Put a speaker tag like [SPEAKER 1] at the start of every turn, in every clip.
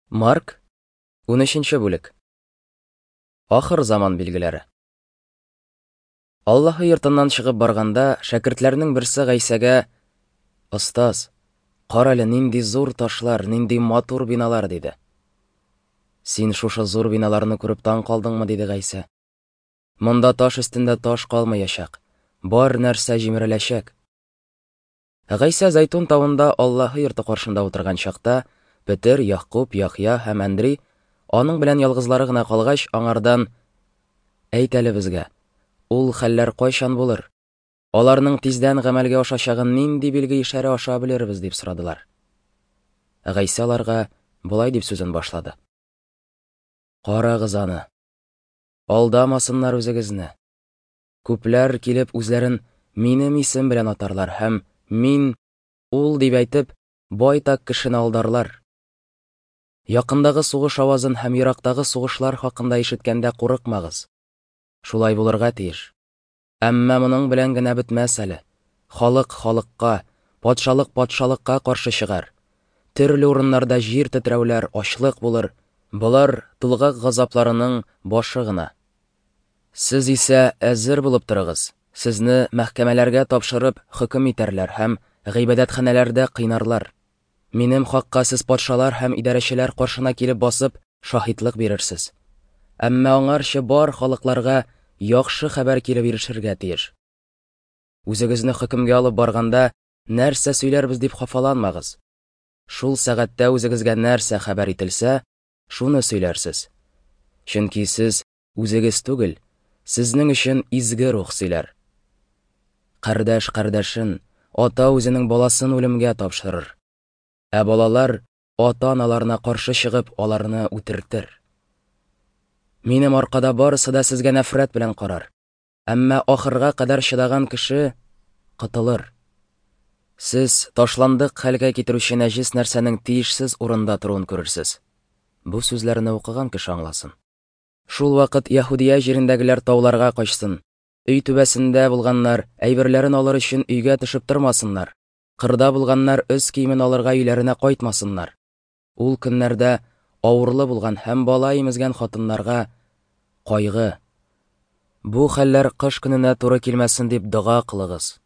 [SPEAKER 1] Марк, 13 бүлек. Ахыр заман билгеләре. Аллаһы йортыннан чыгып барганда, шәкертләрнең берсе Гайсәгә: "Остаз, кара әле, нинди зур ташлар, нинди матур биналар", диде. Син шушы зур биналарны күреп таң калдыңмы? диде Гайсә. Монда таш өстендә таш калмаячак, бар нәрсә җимереләчәк. Гайсә Зәйтүн тавында Аллаһы йорты каршында утырган чакта, Петер, Ягъкуб, Яхъя һәм Әндри аның белән ялгызлары гына калгач, аңардан: "Әйт әле безгә, ул хәлләр кайчан булыр? Аларның тиздән гамәлгә ашачагын нинди билге-ишарә аша белербез?" дип сорадылар. Гайсә аларга болай дип сүзен башлады: "Карагыз аны. Алдамасыннар үзегезне. Күпләр килеп үзләрен минем исем белән атарлар һәм мин ул дип әйтеп, байтак кешене алдарлар. Якындагы сугыш авазын һәм ерактагы сугышлар хакында ишеткәндә курыкмагыз. Шулай булырга тиеш. Әмма моның белән генә бетмәс әле. Халык халыкка, патшалык патшалыкка каршы чыгар. Төрле урыннарда җир тетрәүләр, ачлык булыр. Болар тулгак газапларының башы гына. Сез исә әзер булып торыгыз, сезне мәхкәмәләргә тапшырып хөкем итәрләр һәм гыйбадәтханәләрдә кыйнарлар. Минем хакка сез патшалар һәм идарәчеләр каршына килеп басып, шаһитлык бирерсез. Әмма аңарчы бар халыкларга яхшы хәбәр килеп ирешергә тиеш. Үзегезне хөкемгә алып барганда, нәрсә сөйләрбез дип хафаланмагыз. Шул сәгатьтә үзегезгә нәрсә хәбәр ителсә, шуны сөйләрсез. Чөнки сез үзегез түгел, сезнең өчен изге рух сөйләр. Кардәш кардәшен, ата үзенең баласын үлемгә тапшырыр. Ә балалар ата-аналарына каршы чыгып, аларны үтертер. Минем аркада барысы да сезгә нәфрәт белән карар. Әмма ахырга кадәр чыдаган кеше котылыр. Сез ташландык хәлгә китерүче нәҗес нәрсәнең тиешсез урында торуын күрерсез. Бу сүзләрне укыган кеше аңласын. Шул вакыт Яһүдия җирендәгеләр тауларга качсын. Өй түбәсендә булганнар әйберләрен алыр өчен өйгә төшеп тормасыннар. Кырда булганнар өс киемен алырга өйләренә кайтмасыннар. Ул көннәрдә авырлы булган һәм бала имезгән хатыннарга кайгы. Бу хәлләр кыш көненә туры килмәсен дип дога кылыгыз.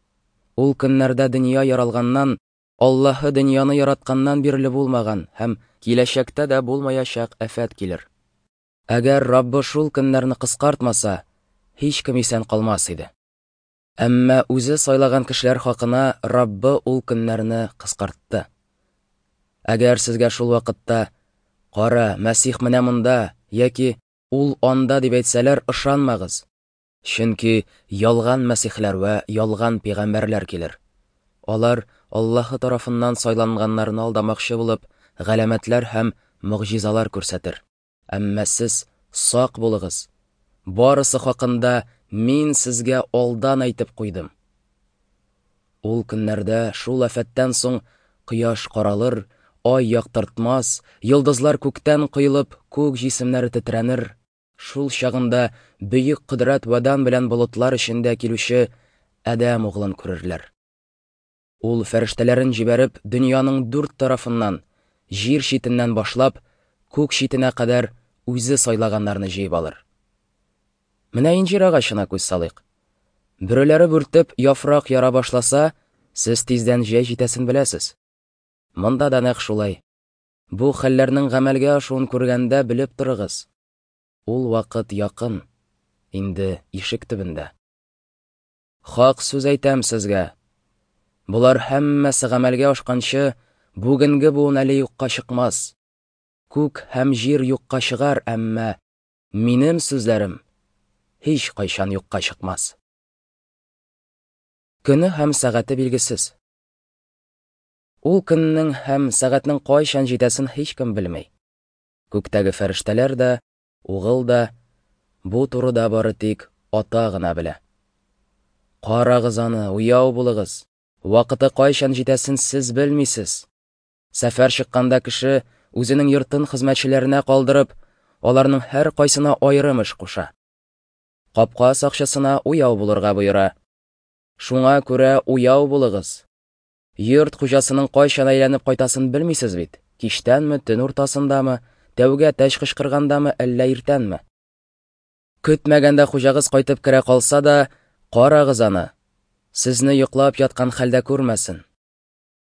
[SPEAKER 1] Ул көннәрдә дөнья яралганнан, Аллаһы дөньяны яратканнан бирле булмаган һәм киләчәктә дә булмаячак афәт килер. Әгәр Раббы шул көннәрне кыскартмаса, һичкем исән калмас иде. Әмма үзе сайлаган кешеләр хакына Раббы ул көннәрне кыскартты. Әгәр сезгә шул вакытта: "Кара, Мәсих менә монда" яки "Ул анда" дип әйтсәләр, ышанмагыз. Чөнки ялган мәсихләр вә ялган пәйгамбәрләр килер. Алар Аллаһы тарафыннан сайланганнарны алдамакчы булып, галәмәтләр һәм могҗизалар күрсәтер. Әмма сез сак булыгыз. Барысы хакында мин сезгә алдан әйтеп куйдым. Ул көннәрдә шул афәттән соң кояш каралыр, ай яктыртмас, йолдызлар күктән коелып, күк җисемнәре тетрәнер. Шул чагында бөек кодрәт вә дан белән болытлар эчендә килүче Адәм углын күрерләр. Ул фәрештәләрен җибәреп, дөньяның дүрт тарафыннан, җир читеннән башлап, күк читенә кадәр үзе сайлаганнарны җыеп алыр. Менә инҗир агачына күз салыйк. Бөреләре бүртеп, яфрак яра башласа, сез тиздән җәй җитәсен беләсез. Монда да нәкъ шулай. Бу хәлләрнең гамәлгә ашуын күргәндә белеп торыгыз. Ул вакыт якын, инде ишек төбендә. Хак сүз әйтәм сезгә. Болар һәммәсе гамәлгә ашканчы, бүгенге буын әле юкка чыкмас. Күк һәм җир юкка чыгар, әмма минем сүзләрем һич кайчан юкка чыкмас. Көне һәм сәгате билгесез. Ул көннең һәм сәгатьнең кайчан җитәсен һичкем белми. Күктәге фәрештәләр дә, Угыл да, бу турыда бары тик Ата гына белә. Карагыз аны, уяу булыгыз. Вакыты кайчан җитәсен сез белмисез. Сәфәр чыкканда кеше үзенең йортын хезмәтчеләренә калдырып, аларның һәркайсына аерым эш куша. Капка сакчысына уяу булырга боера. Шуңа күрә уяу булыгыз. Йорт хуҗасының кайчан әйләнеп кайтасын белмисез бит, кичтәнме, төн уртасындамы, Тәүге әтәч кычкыргандамы, әллә иртәнме? Көтмәгәндә хуҗагыз кайтып керә калса да, карагыз аны. Сезне йоклап яткан хәлдә күрмәсен.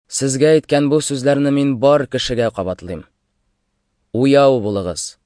[SPEAKER 1] Сезгә әйткән бу сүзләрне мин бар кешегә кабатлыйм. Уяу булыгыз.